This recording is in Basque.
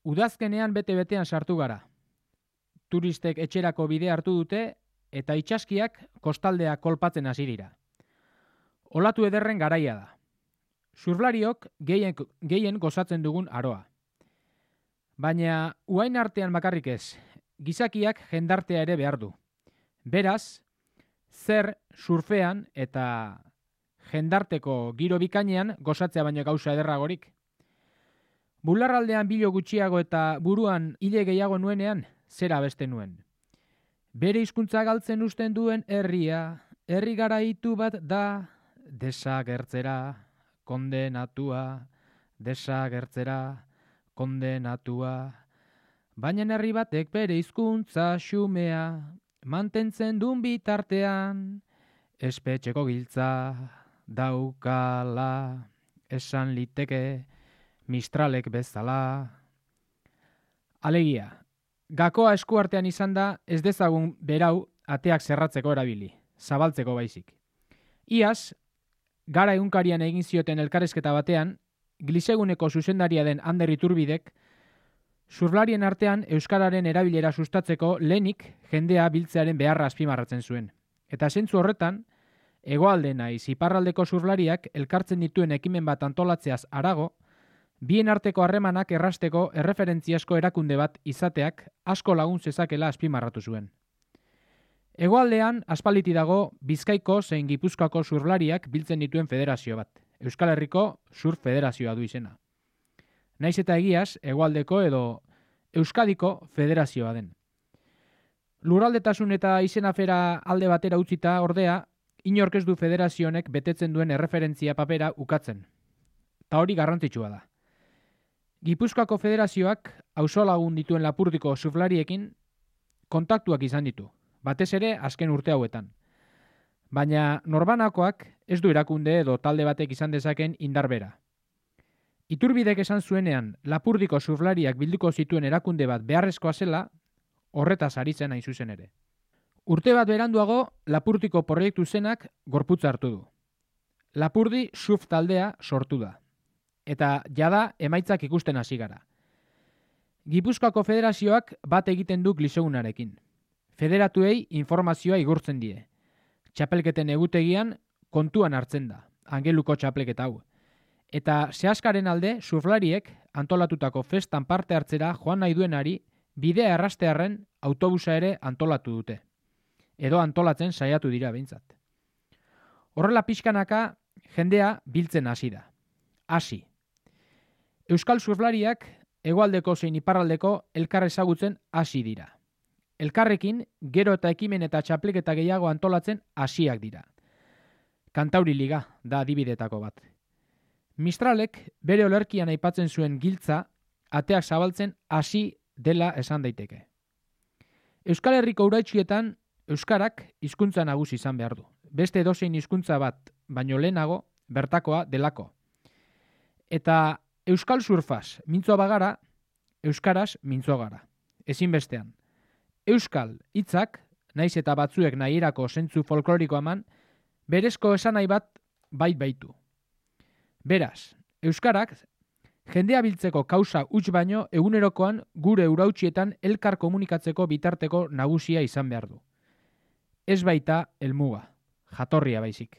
Udazkenean bete-betean sartu gara. Turistek etxerako bidea hartu dute eta itsaskiak kostaldea kolpatzen hasi dira. Olatu ederren garaia da. Surflariok gehien gozatzen dugun aroa. Baina uain artean bakarrik ez, gizakiak jendartea ere behar du. Beraz, zer surfean eta jendarteko giro bikainean gozatzea baino gauza ederragorik. Bularraldean bilo gutxiago eta buruan hile gehiago nuenean, zera beste nuen. Bere hizkuntza galtzen usten duen herria, herri garaitu bat da, desagertzera, kondenatua, desagertzera, kondenatua. Baina herri batek bere hizkuntza xumea, mantentzen duen bitartean, espetxeko giltza daukala, esan liteke Mistralek bezala. Alegia, gakoa eskuartean izan da ez dezagun berau ateak zerratzeko erabili, zabaltzeko baizik. Iaz, Gara egunkarian egin zioten elkarrezketa batean, Gliseguneko zuzendaria den Ander Iturbidek, surflarien artean euskararen erabilera sustatzeko lehenik jendea biltzearen beharra azpimarratzen zuen. Eta zentzu horretan, hegoalde naiz iparraldeko surflariak elkartzen dituen ekimen bat antolatzeaz harago, bien arteko harremanak errasteko erreferentziasko erakunde bat izateak asko lagun zezakela azpimarratu zuen. Hegoaldean aspaliti dago Bizkaiko zein Gipuzkoako surflariak biltzen dituen federazio bat. Euskal Herriko Surf Federazioa du izena. Naiz eta egiaz, hegoaldeko edo Euskadiko federazioa den. Lurraldetasun eta izenafera alde batera utzita ordea, inork ez du federazionek betetzen duen erreferentzia papera ukatzen. Ta hori garrantzitsua da. Gipuzkoako federazioak auzolagun dituen Lapurdiko surflariekin kontaktuak izan ditu, batez ere azken urte hauetan. Baina norbanakoak ez du erakunde edo talde batek izan dezaken indarbera. Iturbidek esan zuenean Lapurdiko surflariak bilduko zituen erakunde bat beharrezkoa zela, horretaz ari zen hain zuzen ere. Urte bat beranduago Lapurdiko proiektu zenak gorputza hartu du. Lapurdi surf taldea sortu da. Eta jada emaitzak ikusten hasi gara. Gipuzkoako federazioak bat egiten du Glisegunarekin. Federatuei informazioa igurtzen die. Txapelketen egutegian kontuan hartzen da, Angeluko txapelketa hau. Eta zehaskaren alde surflariek antolatutako festan parte hartzera joan nahi duenari bidea errastearren autobusa ere antolatu dute. Edo antolatzen saiatu dira behintzat. Horrela pixkanaka jendea biltzen hasi da. Hasi. Euskal surflariak hegoaldeko zein iparraldeko elkar ezagutzen hasi dira. Elkarrekin gero eta ekimen eta txapelketa gehiago antolatzen hasiak dira. Kantauri Liga da adibidetako bat. Mistralek bere olerkian aipatzen zuen giltza ateak zabaltzen hasi dela esan daiteke. Euskal Herriko uraitxietan euskarak hizkuntza nagusi izan behar du. Beste edozein hizkuntza bat baino lehenago bertakoa delako. Eta euskal surfaz mintzoa bagara, euskaraz mintzoa gara. Ezinbestean. Euskal hitzak, naiz eta batzuek nahierako zentzu folkloriko eman, berezko esanai bat baitu. Beraz, euskarak jendea biltzeko kausa huts baino egunerokoan gure urautsietan elkar komunikatzeko bitarteko nagusia izan behar du. Ez baita helmuga, jatorria baizik.